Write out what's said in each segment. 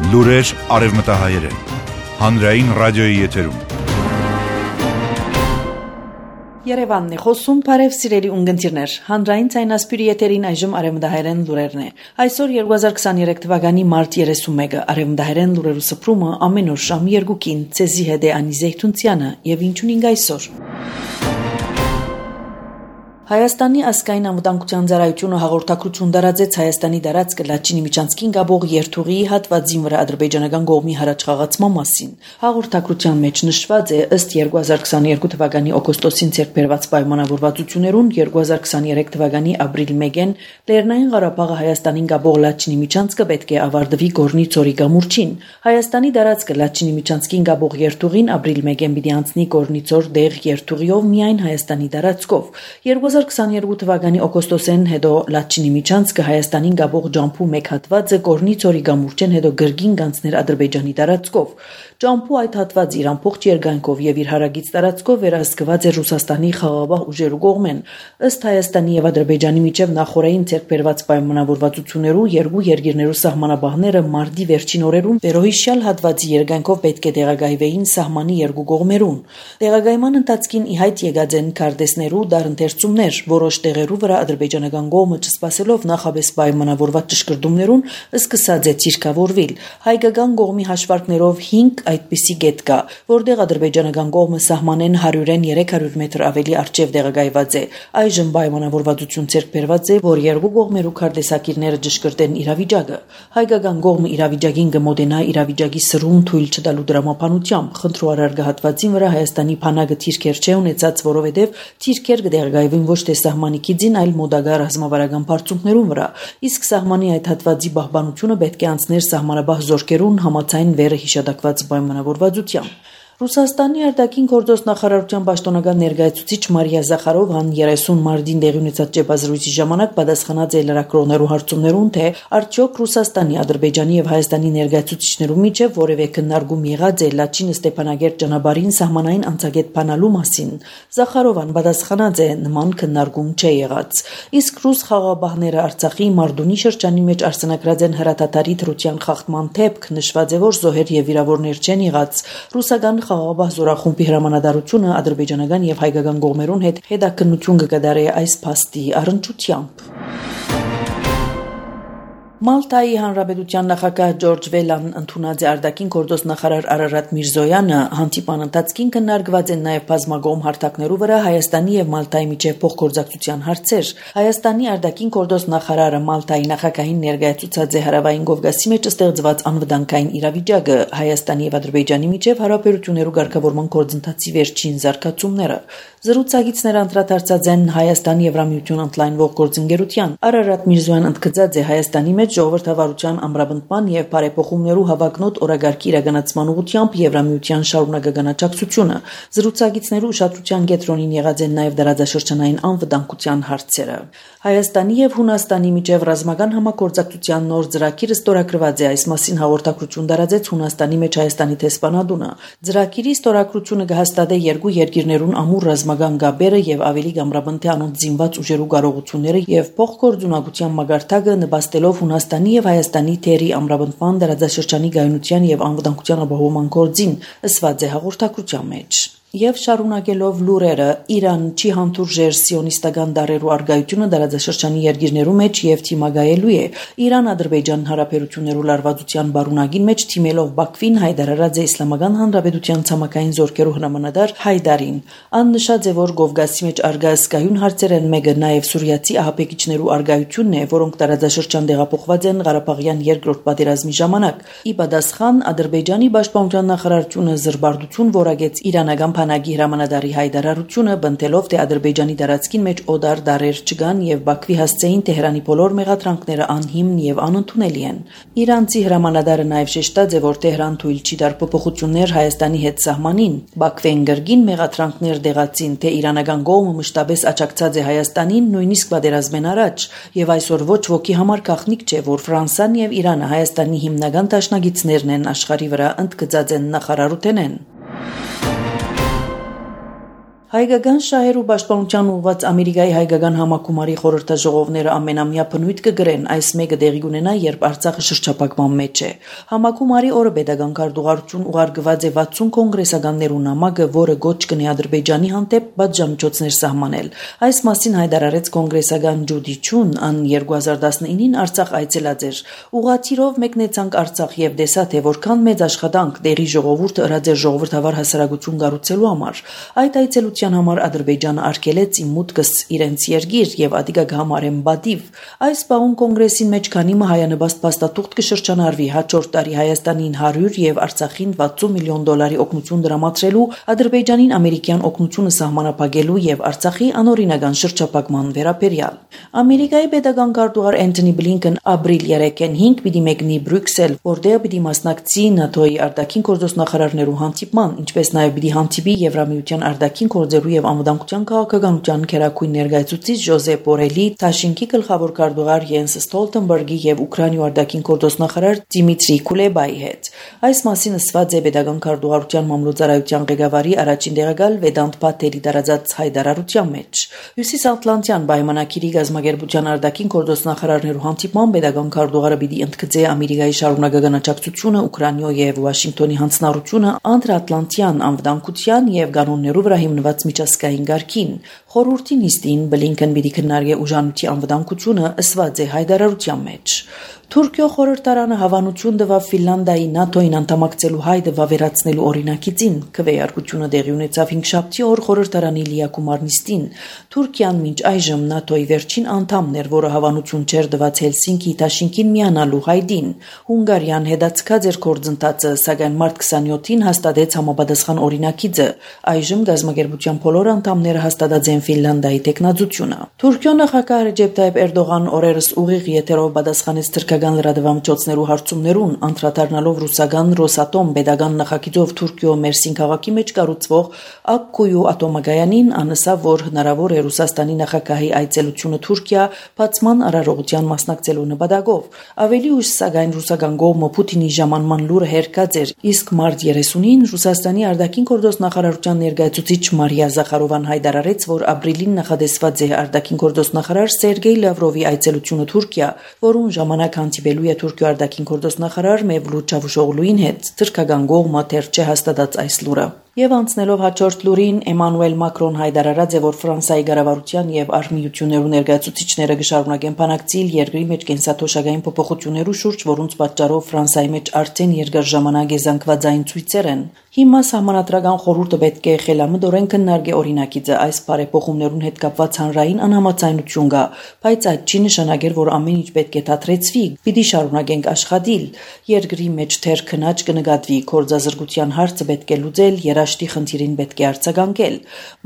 Լուրեր արևմտահայերեն, հանրային ռադիոյի եթերում։ Երևանն է խոսում, բարև սիրելի ունգընտիրներ, հանրային ցայնասպիրի եթերին այժմ արևմտահայերեն լուրերն է։ Այսօր 2023 թվականի մարտ 31-ը արևմտահայերեն լուրերու սփռումը ամեն օր շամ 2-ին ցեզի հետ է Անի Զեյթունցյանը եւ ինչուն ինգ այսօր։ Հայաստանի ազգային անվտանգության ծառայությունը հաղորդակցություն տարածեց Հայաստանի տարածքը Լաչինի միջանցքին գաբող երթուղի հատվածին վրա ադրբեջանական կողմի հրաչխաղացման մասին։ Հաղորդակցության մեջ նշված է ըստ 2022 թվականի օգոստոսին ցերբերված պայմանավորվածություններուն 2023 թվականի ապրիլ 1-ին Լեռնային Ղարաբաղը Հայաստանին գաբող Լաչինի միջանցքը պետք է ավարտվի Գորնի ծորի գամուրջին։ Հայաստանի տարածքը Լաչինի միջանցքին գաբող երթուղին ապրիլ 1-ին պիտի անցնի Գորնի ծոր դեղ երթուղիով միայն Հայաստանի տարածքով։ 2022 թվականի օգոստոսին հետո Լաչինի միջանցքը Հայաստանին գաբող ջամփու մեկ հատվածը Գորնի ծորի գամուրջեն հետո գրգին գանցներ Ադրբեջանի տարածքով։ Ջամփու այդ հատվածը իր ամբողջ երկայնքով եւ իր հարագից տարածքով վերահսկված է Ռուսաստանի խաղաղ ուժերու կողմեն։ Ըստ Հայաստանի եւ Ադրբեջանի միջև նախորդային ցերբերված պայմանավորվածություններու երկու երկիրներու սահմանաբահները մարտի վերջին օրերուն վերոհիշյալ հատվածի երկայնքով պետք է տեղակայվեին սահմանի երկու կողմերուն։ Տեղակայման ընթացքին ի հայտ եկած են քարտեզներու դարընթերցումներ, որոշ տեղերու վրա ադրբեջանական կողմը չսպասելով նախաբես պայմանավորված ճշգրտումներուն սկսած է ցիրկավորվել։ Հայկական կողմի հաշվարկներով 5 այդպիսի գետ կա, որտեղ ադրբեջանական կողմը սահմանեն 100-ին 300 մետր ավելի արժև տեղակայված է։ Այժմ պայմանավորվածություն ցերբերված է, որ երկու կողմերու քարտեզակիրները ճշգրտեն իրավիճակը։ Հայկական կողմը իրավիճակին կմոտենա իրավիճակի սրուն թույլ չտալու դրամապանությամբ։ Խնդրու արարգահատվածին վրա Հայաստանի փանակը թիրքեր չէ ունեցած, որովհետև թիրքեր կդեղկայվին ոչ թե սահմանի կիզին, այլ մոդագա ռազմավարական բարձունքներուն վրա։ Իսկ սահմանի այդ հատվածի պահպանությունը պետք է անցներ սահմանաբահ զորքերուն համաձայն վերը հիշատակված պայմանավորվածությամբ։ Ռուսաստանի արտաքին գործոս նախարարության պաշտոնական ներկայացուցիչ Մարիա Զախարովան 30 մարտին տեղի ունեցած ճեպազրույցի ժամանակ պատասխանած է լրագրողներու հարցումներուն, թե արդյոք Ռուսաստանի, Ադրբեջանի եւ Հայաստանի ներկայացուցիչներու միջև որևէ քննարկում եղած է Լաչին Ստեփանագերտ ճանապարհին սահմանային անցագետ բանալու մասին։ Զախարովան պատասխանած է նման քննարկում չէ եղած։ Իսկ ռուս խաղաղապահները Արցախի Մարդունի շրջանի մեջ արձանագրած են հրատատարի դրության խախտման դեպք, նշված է, որ զոհեր եւ վիրավորներ չեն եղած։ Ռուսական խաղաղապահ զորախումբի հրամանատարությունը ադրբեջանական եւ հայկական կողմերուն հետ հետաքննություն կկատարի այս փաստի առնչությամբ։ Մալտայի հանրապետության նախագահ Ջորջ Վելան ընդունած է արտաքին գործոս նախարար Արարատ Միրզոյանը, հանդիպան ընթացքին քննարկված են նաև բազմագոմ հարթակներու վրա Հայաստանի եւ Մալտայի միջև փոխգործակցության հարցեր։ Հայաստանի արտաքին գործոս նախարարը Մալտայի նախագահին ներկայացուցած է հարավային Կովկասի մեջ ստեղծված անվտանգային իրավիճակը, Հայաստանի եւ Ադրբեջանի միջև հարաբերություններու ղեկավարման գործընթացի վերջին զարգացումները։ Զրուցակիցները անդրադարձած են Հայաստանի Եվրամիություն ընդլայնվող գործընկերության։ Արարատ Միրզոյան ընդգծած է Հայաստանի մեջ ժողովրդավարության ամրապնդման եւ բարեփոխումներու հավակնոտ օրագարկի իրականացման ուղղությամբ Եվրամիության շարունակական աջակցությունը։ Զրուցակիցներու ուշադրության կենտրոնին եղած են նաեւ դարաձաշրջանային անվտանգության հարցերը։ Հայաստանի եւ Հունաստանի միջև ռազմական համագործակցության նոր ծրագիրը ստորագրված է, այս մասին հաղորդակցություն տարածեց Հունաստանի մեջ Հայաստանի տեսփանատունը։ Ծրագիրի ստորագրությունը կհաստատի երկու երկիրներուն ամուր ռազմական գաբերը եւ ավելի կամրապնդի անոնց զինված ուժերու կարողությունները եւ փոխգործունակության մագարտակը նպաստելով Հունաստանի եւ Հայաստանի թերի ամրապնդման դարաձաշրջանի գայունության եւ անվտանգության ապահովման գործին, ըսված է հաղորդակցության մեջ։ Եվ շարունակելով լուրերը, Իրան չի հանդուրժեր սիոնիստական դարերու արգայությունը դարաձաշրջանի երկիրներու մեջ եւ թիմագայելու է։ Իրան-Ադրբեջան հարաբերություններու լարվածության բարունակին մեջ թիմելով Բաքվին հայտարարած է Իսլամական Հանրապետության ցամաքային զորքերու հրամանատար Հայդարին։ Ան նշած է, որ Կովկասի մեջ արգայսկայուն հարցեր են մեկը նաեւ սուրիացի ահաբեկիչներու արգայությունն է, որոնք դարաձաշրջան տեղափոխված են Ղարաբաղյան երկրորդ պատերազմի ժամանակ։ Ի պատասխան Ադրբեջանի պաշտպանության նախարարությունը զրբարդություն որակեց իրանական Փանագի հրամանատարի հայտարարությունը բնտելով, թե Ադրբեջանի տարածքին մեջ օդար դարեր չկան եւ Բաքվի հասցեին Թեհրանի բոլոր մեղադրանքները անհիմն եւ անընդունելի են։ Իրանցի հրամանատարը նաեւ շեշտած է, որ Թեհրան թույլ չի տար փոփոխություններ Հայաստանի հետ սահմանին։ Բաքվեն գրգին մեղադրանքներ դեղացին, թե իրանական կողմը մշտապես աջակցած է Հայաստանին նույնիսկ պատերազմեն առաջ, եւ այսօր ոչ ոքի համար գաղտնիք չէ, որ Ֆրանսան եւ Իրանը Հայաստանի հիմնական դաշնակիցներն են աշխարհի վրա, ընդգծած են նախարարութենեն։ Հայկական շահեր ու պաշտպանության ուղղված Ամերիկայի հայկական համակումարի խորհրդաժողովները ամենամյա բնույթ կգրեն, այս մեկը դեղի կունենա, երբ Արցախը շրջափակման մեջ է։ Համակումարի օրը պետական քարտուղարություն ուղարկված է 60 կոնգրեսականներու նամակը, որը գոչ կնի Ադրբեջանի հանդեպ պատժամիջոցներ սահմանել։ Այս մասին հայտարարեց կոնգրեսական Ջուդի Չուն, ան 2019-ին Արցախ այցելած էր։ Ուղղաթիռով մեկնեցանք Արցախ եւ տեսա, թե որքան մեծ աշխատանք դերի ժողովուրդը ըրած էր ժողովրդավար հասարակություն կառուցելու համար։ Այդ այցելության համար Ադրբեջանը արգելեց իմ մուտքս իրենց երկիր եւ ադիգա կհամարեն բադիվ։ Այս բաղուն կոնգրեսին մեջ քանիմը հայանպաստ փաստաթուղթ կշրջանարվի հաջորդ տարի Հայաստանին 100 եւ Արցախին 60 միլիոն դոլարի օգնություն դրամատրելու, Ադրբեջանին ամերիկյան օգնությունը սահմանափակելու եւ Արցախի անօրինական շրջափակման վերաբերյալ։ Ամերիկայի պետական քարտուղար Անթոնի Բլինքեն ապրիլ 3-ին 5 պիտի մեկնի Բրյուսել, որտեղ պիտի մասնակցի ՆԱՏՕ-ի արտաքին գործոստնախարարներու հանդիպման, ինչպես նաեւ պիտի հանդիպի Եվրամիության արտաքին գործերու եւ անվտանգության քաղաքականության քերակույն ներկայացուցիչ Ժոզեփ Բորելի, Թաշինքի գլխավոր քարտուղար Յենս Ստոլտենբերգի եւ Ուկրաինայի արտաքին գործոստնախարար Դիմիտրի Կուլեբայի հետ։ Այս մասին ասված է պետական քարտուղարության մամլոյցարայության ղեկավարի առաջին տեղակալ Վեդանտ Փաթելի տարածած հայտարարության մեջ։ Հյուսիսատլանտյան պայմանագիրի գազագերբության արտաքին գործոստնախարարներու հանդիպման պետական քարտուղարը պիտի ընդգծե Ամերիկայի շարունակական աջակցությունը Ուկրաինայի եւ Վաշինգտոնի հանձնառությունը անդրատլանտյան անվտանգության եւ կանոններու վրա հիմնված միջազգային գարքին։ Խորհրդի նիստին Բլինքեն պիտի քննարկի ուժանույթի անվտանգությունը, ըսված է հայտարարության մեջ։ Թուրքիո խորհրդարանը հավանություն տվավ Ֆինլանդիայի ՆԱՏՕ-ին անդամակցելու հայտը վավերացնելու օրինակիցին։ Քվեարկությունը տեղի ունեցավ 5-շաբթի օր խորհրդարանի լիակումար նիստին։ Թուրքիան մինչ այժմ ՆԱՏՕ-ի վերջին անդամն էր, որը հավանություն չէր տված Հելսինկի Թաշինքին միանալու հայտին։ Հունգարիան հետաձգած էր գործընթացը, սակայն մարտ 27-ին հաստատեց համապատասխան օրինակիցը։ Այժմ գազագերբության բոլոր անդամները հաստատած են Ֆինլանդիայի տեխնացությունը։ Թուրքիո նախագահ Ռեջեփ Թայիփ Էրդողան օրերս ուղիղ եթերով պատասխանեց թուրքական լրատվամիջոցներու հարցումներուն, անդրադառնալով ռուսական Ռոսատոմ պետական նախագիծով Թուրքիո Մերսին քաղաքի մեջ կառուցվող Ակկույու ատոմագայանին, անասավ, որ հնարավոր է Ռուսաստանի նախագահի այցելությունը Թուրքիա բացման արարողության մասնակցելու նպատակով։ Ավելի ուշ, սակայն ռուսական կողմը Պուտինի ժամանման լուրը հերկած էր, իսկ մարտ 30-ին Ռուսաստանի արտաքին գործոստնախարարության ներկայացուցիչ Մարիա Զախարովան հայտարարեց, որ ապրիլին նախադեсված է արտաքին գործոստնախարար Սերգեյ Լավրովի այցելությունը Թուրքիա, որուն ժամանակ հանդիպելու է Թուրքիո արտաքին գործոստնախարար Մևլութ Չավուշօղլուին հետ։ Թուրքական կողմը դեռ չէ հաստատած այս լուրը։ Եվ անցնելով հաջորդ լուրին, Էմանուել Մակրոն հայտարարած է, որ Ֆրանսիայի կառավարության եւ արմիություններու ներկայացուցիչները կշարունակեն բանակցել երկրի մեջ կենսաթոշակային փոփոխություններու շուրջ, որոնց պատճառով Ֆրանսիայի մեջ արդեն երկար ժամանակ է զանգվածային ցույցեր են։ Հիմա Սահմանադրական խորհուրդը պետք է խելամտորեն քննարկի օրինակիցը, այս բարեփոխումներուն հետ կապված հանրային անհամաձայնություն կա, բայց այդ չի նշանակել, որ ամեն ինչ պետք է դադրեցվի։ Պիտի շարունակենք աշխատել։ Երկրի մեջ թեր քնած կնկատվի, գործազրկության հարցը պետք է լուծել, երաշտի խնդիրին պետք է արձագանքել։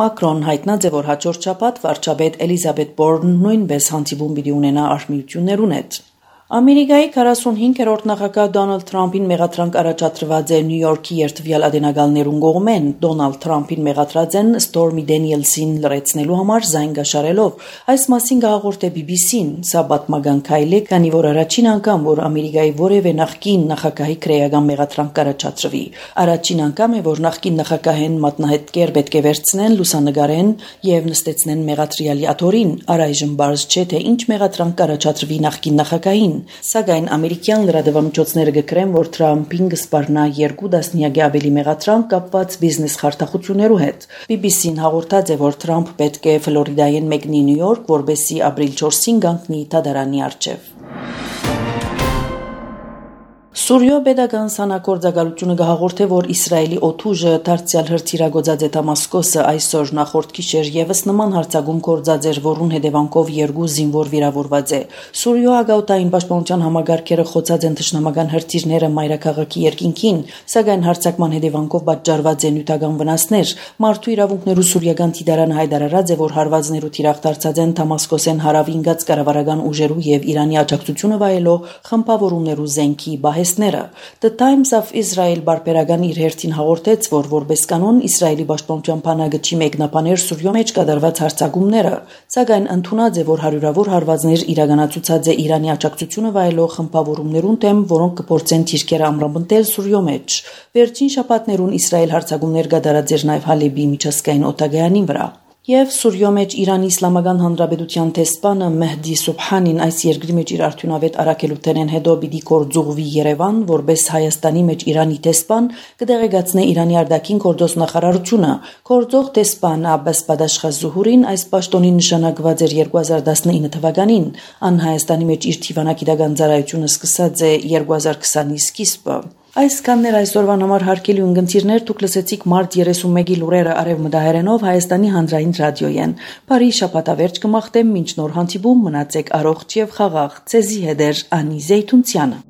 Մակրոն հայտնած է, որ հաջորդ շաբաթ վարչապետ Էլիզաբեթ Բորնն նույնպես հանդիպում պիտի ունենա արմիություններուն հետ։ Ամերիկայի 45-րդ նախագահ Դոնալդ Թրամփին մեղադրանք առաջադրված է Նյու Յորքի երթվյալ ադենագալներուն կողմեն։ Դոնալդ Թրամփին մեղադրած են Ստորմի Դենիելսին լրացնելու համար զայն գաշարելով։ Այս մասին կհաղորդե BBC-ն։ Սա պատմական քայլ է, քանի որ առաջին անգամ, որ Ամերիկայի որևէ նախկին նախագահի քրեական մեղադրանք կառաջադրվի։ Առաջին անգամ է, որ նախկին նախագահեն մատնահետքեր պետք է վերցնեն, լուսանգարեն եւ նստեցնեն մեղադրյալի աթորին։ Առայժմ բարձ չէ, թե ինչ մեղադրանք կառաջադրվի նախկին նախագահին։ Սակայն ամերիկյան լրատվամիջոցները գկրեն, որ Թրամփին կսպառնա 2 տասնյակի ավելի մեղադրանք կապված բիզնես խարդախություններու հետ։ BBC-ն հաղորդած է, որ Թրամփ պետք է Ֆլորիդայեն մեկնի Նյու Յորք, որբեսի ապրիլ 4-ին կանգնի դատարանի առջև։ Սուրիո պետական սանագործակալությունը կհաղորդե, որ Իսրայելի օդուժը դարձյալ հրթիռագործած է Դամասկոսը այսօր նախորդ գիշեր եւս նման հարձակում գործած էր, որուն հետևանքով 2 զինվոր վիրավորված է։ Սուրիո ագաուտային պաշտպանության համագարքերը խոցած են թշնամական հրթիռները մայրաքաղաքի երկինքին, սակայն հարձակման հետևանքով պատճառված են նյութական վնասներ։ Մարդու իրավունքներու սուրիական դիտարանը հայտարարած է, որ հարվածներու թիրախ դարձած են Դամասկոսեն հարավին գած կառավարական ուժերու եւ Իրանի աջակցությունը վայելող խմբավորումներու զենքի զրահատեսները։ The Times of Israel բարբերական իր հերթին հաղորդեց, որ որպես կանոն Իսրայելի պաշտպանության բանակի մեկնաբաներ Սուրյո մեջ կատարված հարձակումները, սակայն ընդունած է, որ հարյուրավոր հարվածներ իրականացուցած է Իրանի աջակցությունը վայելող խմբավորումներուն դեմ, որոնք կփորձեն թիրքերը ամրապնդել Սուրյո մեջ։ Վերջին շաբաթներուն Իսրայել հարձակումներ կատարած էր նաև Հալեբի միջազգային օդանավի վրա։ Եվ Սուրյո մեջ Իրանի Իսլամական Հանրապետության տեսփանը Մեհդի Սուբհանին այս երկրի մեջ իր արդյունավետ առաքելութենեն հետո պիտի կորձուղվի Երևան, որպես Հայաստանի մեջ Իրանի տեսփան կդեղեկացնե Իրանի արտաքին գործոս նախարարությունը։ Գործող տեսփան Աբբաս Բադաշխազուհուրին այս պաշտոնին նշանակված էր 2019 թվականին, ան Հայաստանի մեջ իր թիվանագիտական ծառայությունը սկսած է 2020-ի սկիզբը։ Այսքաններ այսօրվան համար հարգելի ունգընտիրներ, դուք լսեցիք մարտ 31-ի լուրերը արևմտահայերենով Հայաստանի հանրային ռադիոյեն։ Բարի շաբաթավերջ կմաղթեմ, մինչ նոր հանդիպում մնացեք առողջ եւ խաղաղ։ Ցեզի հետ Անի Զեյթունցյանը։